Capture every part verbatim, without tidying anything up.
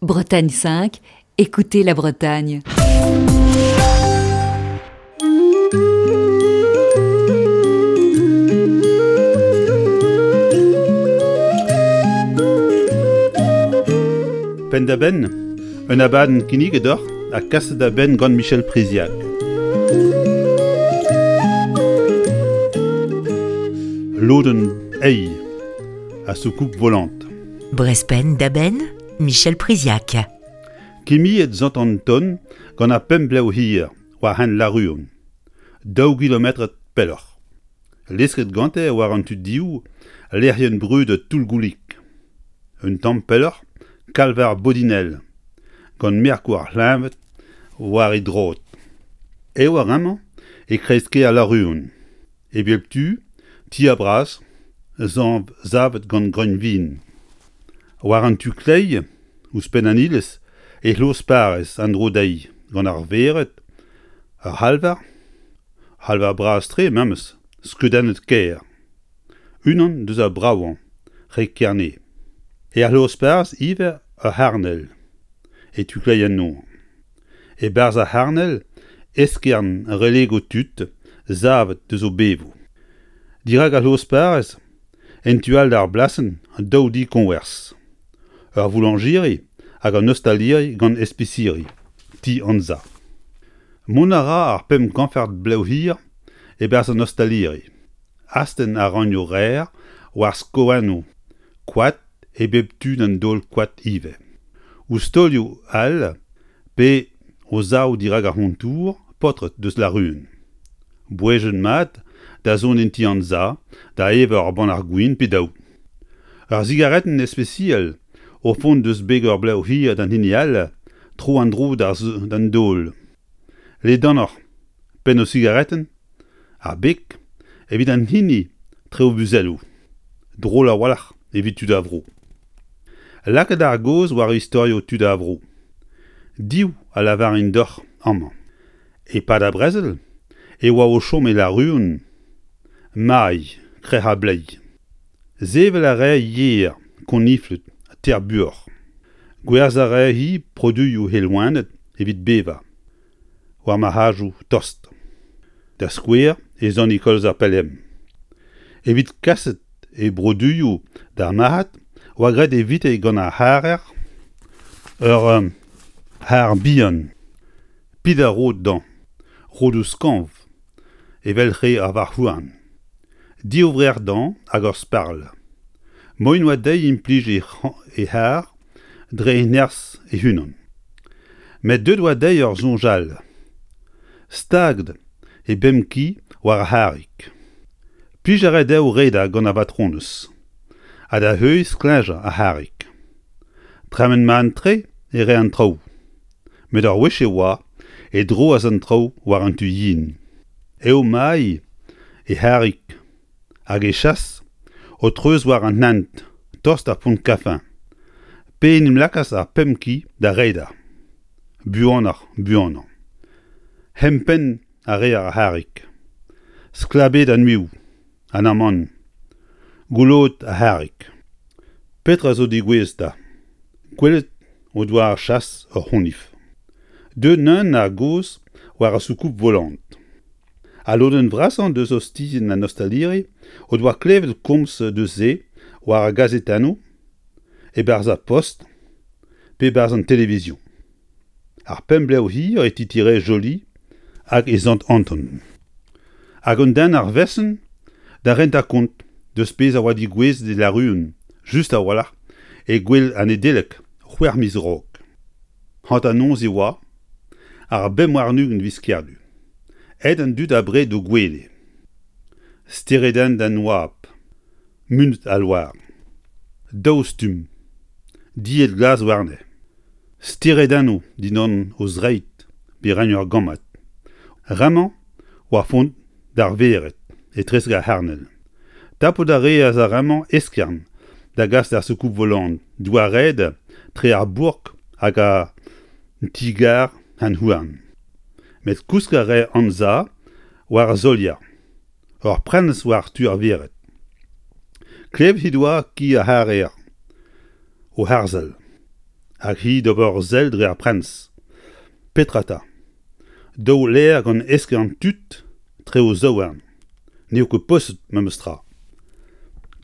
Bretagne cinq, écoutez la Bretagne. Penn-da-benn, un abadenn kinniget deoc'h ha kaset da benn gant Michel Priziac. Lodenn eil a soucoupe volante. Brest Penn-da-Benn, Michel Priziac. Kimiet Sant Anton gant ar pemp blev hir war hent Laruon, daou gilometr pelloc'h. Lesket gante war an tu div lec'hienn brudet Toull-Goulig. Un tamm pelloc'h, kalvar Bodinel, gant merkoù ar c'hleñved war e droad. Eo ar amañ e kreiz-kêr Laruon. E bep tu, ti a-bras, zañv savet gant greun vin. War an tu kleiz, ouzhpenn an iliz, e c'hloz parrez an dro dezhi gant ar vered, ar c'halvar, c'halvar bras-tre memes, skeudennet kaer. Unan deus ar bravañ, re Kerne. Er c'hloz-parrez ivez ur c'harnel, e tu kleiz an nor. E-barzh ar c'harnel, eskern relegoù tud savet deus o bevoù. Dirak ar c'hloz-parrez, en tu all d'ar blasenn, daou di koñvers. Ur vouloñjiri hag an ostaliri gant espisiri, ti Anza. Mont a ra ar pemp kañfard blev hir e-barzh an ostaliri. Astenn a ranio reer war skoennoù koad e bep tu d'an daol koad ivez. Ouzh taolioù all pe o sav dirak ar c'hontour paotred deus Laruon. Bouejenn mat da zont en ti Anza da evañ ur bannac'h gwin pe daou. Ur sigaretenn ispisial o font deus beg ur blev hir d'an hini all tro an dro d'an daol. Ledanoc'h penn o sigaretenn, ar beg evit an hini tre o buzelloù. Drol a-walc'h evit tud a vro. Lakaat ar gaoz war istorioù tud a vro. Div a lavarin deoc'h amañ. E-pad ar brezel e oa o chom e Laruon, Mai, Krec'h ar Bleiz. Sevel a rae yer, konifled, teir buoc'h. Gwerzhañ a rae-hi produioù he loened evit bevañ, war marc'hadoù tost. Da skouer e Sant-Nikolaz-ar-Pelem. Evit kaset e broduioù d'ar marc'had oa graet evite gant ar c'harrer ur c'harr bihan. Pid a rod dañ, rodoù skañv, evel re ar varc'h-houarn. Div vrec'h dañ hag ur sparl. Moaien oa dezhi implij he c'harr dre he nerzh he-unan. Met deuet oa dezhi ur soñj all. Staget he bemp ki war ar c'harrig. Plij a rae dezho redañ gant ar batronez, ha da heuilh skleñjañ ar c'harrig. Tremen mat-tre e rae an traoù. Met ur wech e oa e droas an traoù war an tu yen. Eo Mai he c'harrig hag e chas o treuz war an hent, tost ar pont Kafin. Pe en em lakaas ar pemp ki da redañ. Buanoc'h, buanañ. Hempenn a rae ar c'harrig. Sklabet an uioù, an amann. Goulot ar c'harrig. Petra zo degouezhet 'ta? Gwelet o doa ar chas ur c'honifl. Deuet neuze ar gaoz war ar soucoupe volante. Al lodenn vrasañ deus ostizien an ostaliri o doa klevet komz deus se war ar gazetennoù, e-barzh ar post pe e-barzh an televizion. Ar pemp blev hir e titire Joli hag e Sant Anton. Hag un den ar vesenn da rentañ kont deus pezh a oa degouezhet e Laruon, just a-walc'h e gouel an Nedeleg c'hwec'h miz a-raok. Hanternoz e oa, ar bemp warn-ugent viz Kerdu. Aet an dud abred d'o gwele. Steredenn d'an oabl, munut al loar. Daou stumm, dilhad glas warne. Steredennoù dindan o zreid pe reiñ ur gammad. Remañ war font d'ar vered, etrezek ar c'harnel. Tapout a reas ar remañ eskern da gas d'ar soucoupe volante, douaret tre ar bourk hag ar ti-gar hent-houarn. Met kousk a rae Anza war ar solier, ur prenestr war tu ar vered. Klevet he doa ki ar c'harrer o harzhal. Hag hi d'ober sell dre ar prenestr. Petra 'ta? Daou laer gant eskern tud tre o zaouarn. N'eo ket posupl memes tra.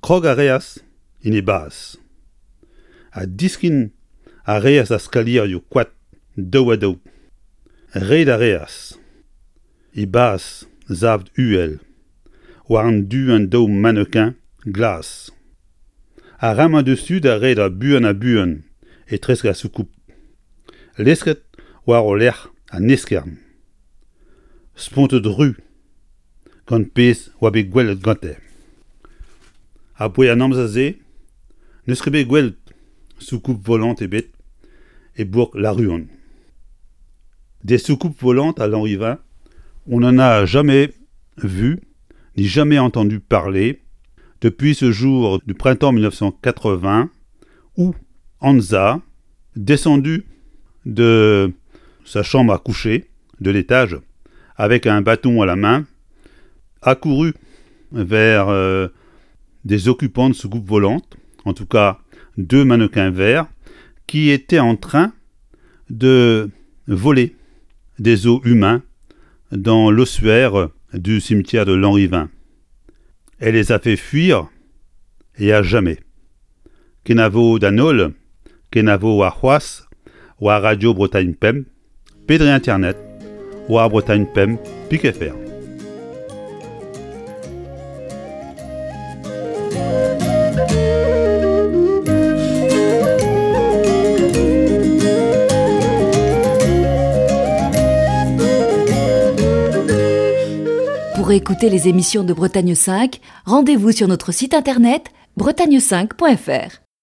Krog a reas en e bas. Ha diskenn a reas ar skalierioù koad daou-ha-daou. Red a reas. E bas savet uhel, war an du an daou mannequin glas. Ar re-mañ diouzhtu da redek buan-ha-buan etrezek ar soucoupe. Lesket war o lerc'h an eskern. Spontet-ru gant pezh oa bet gwelet gante. Abaoe an amzer-se n'eus ket bet gwelet soucoupe volante ebet e bourk Lanruon. Des soucoupes volantes à Lanrivain, on n'en a jamais vu ni jamais entendu parler depuis ce jour du printemps mille neuf cent quatre-vingts où Hansa, descendu de sa chambre à coucher de l'étage avec un bâton à la main, a couru vers, euh, des occupants de soucoupes volantes, en tout cas deux mannequins verts, qui étaient en train de voler des os humains dans l'ossuaire du cimetière de Lanrivain. Elle les a fait fuir et à jamais. Kenavo d'an holl, kenavo war c'hoazh, war Radio Bretagne Pemp, pe dre Internet, war Bretagne Pemp, pik F R. Pour écouter les émissions de Bretagne cinq, rendez-vous sur notre site internet bretagne cinq point F R.